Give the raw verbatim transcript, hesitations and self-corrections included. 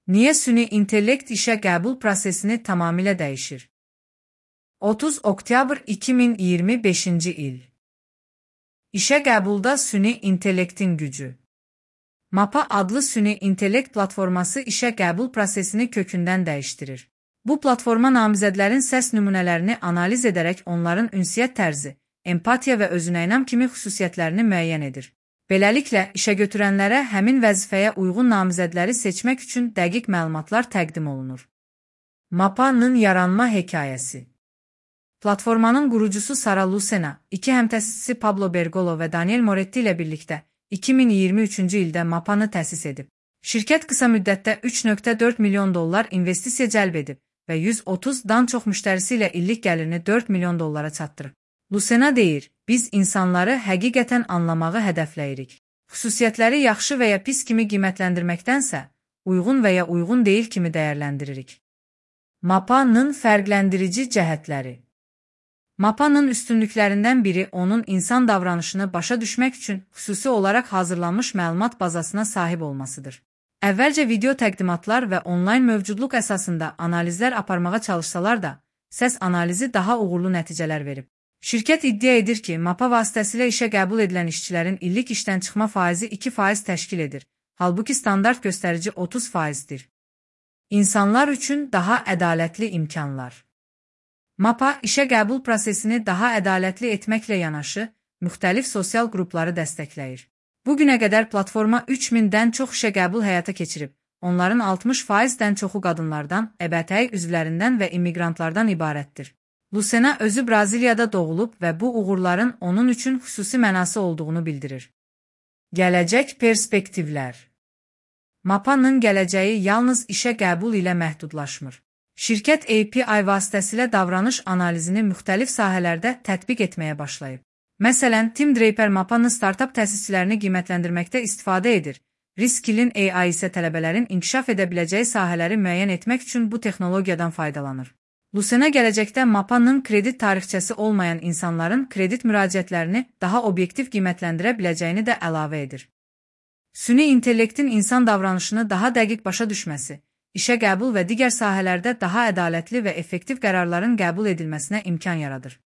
Niye süni intellekt işe qəbul prosesini tamamilə dəyişir? otuz oktyabr iki min iyirmi beşinci il. İşə qəbulda süni intellektin gücü. Mapa adlı süni intellekt platforması işə qəbul prosesini kökündən dəyişdirir. Bu platforma namizədlərin səs nümunələrini analiz edərək onların ünsiyyət tərzi, empatiya və özünəynam kimi xüsusiyyətlərini müəyyən edir. Beləliklə, işə götürənlərə həmin vəzifəyə uyğun namizədləri seçmək üçün dəqiq məlumatlar təqdim olunur. Mapa'nın yaranma hekayəsi. Platformanın qurucusu Sara Lucena, iki həmtəsisi Pablo Bergolo və Daniel Moretti ilə birlikdə iki min iyirmi üçüncü ildə Mapa'nı təsis edib. Şirkət qısa müddətdə üç nöqtə dörd milyon dollar investisiya cəlb edib və yüz otuzdan çox müştərisi ilə illik gəlirini dörd milyon dollara çatdırıb. Lucena deyir, biz insanları həqiqətən anlamağı hədəfləyirik. Xüsusiyyətləri yaxşı və ya pis kimi qiymətləndirməkdənsə, uyğun və ya uyğun deyil kimi dəyərləndiririk. Mapa'nın fərqləndirici cəhətləri. Mapa'nın üstünlüklərindən biri onun insan davranışını başa düşmək üçün xüsusi olaraq hazırlanmış məlumat bazasına sahib olmasıdır. Əvvəlcə video təqdimatlar və onlayn mövcudluq əsasında analizlər aparmağa çalışsalar da, səs analizi daha uğurlu nəticələr verib. Şirkət iddia edir ki, Mapa vasitəsilə işə qəbul edilən işçilərin illik işdən çıxma faizi iki faiz təşkil edir, halbuki standart göstərici otuz faizdir. İnsanlar üçün daha ədalətli imkanlar. Mapa, işə qəbul prosesini daha ədalətli etməklə yanaşı, müxtəlif sosial qrupları dəstəkləyir. Bugünə qədər platforma üç mindən çox işə qəbul həyata keçirib, onların altmış faizdən çoxu qadınlardan, L G B T üzvlərindən və immigrantlardan ibarətdir. Lucena özü Braziliyada doğulub və bu uğurların onun üçün xüsusi mənası olduğunu bildirir. Gələcək perspektivlər. Mapa'nın gələcəyi yalnız işə qəbul ilə məhdudlaşmır. Şirkət A P I vasitəsilə davranış analizini müxtəlif sahələrdə tətbiq etməyə başlayıb. Məsələn, Tim Draper Mapa'nın startap təsisçilərini qiymətləndirməkdə istifadə edir. Riskilin A I isə tələbələrin inkişaf edə biləcəyi sahələri müəyyən etmək üçün bu texnologiyadan faydalanır. Lucena gələcəkdə Mapa'nın kredit tarixçəsi olmayan insanların kredit müraciətlərini daha obyektiv qiymətləndirə biləcəyini də əlavə edir. Süni intellektin insan davranışını daha dəqiq başa düşməsi, işə qəbul və digər sahələrdə daha ədalətli və effektiv qərarların qəbul edilməsinə imkan yaradır.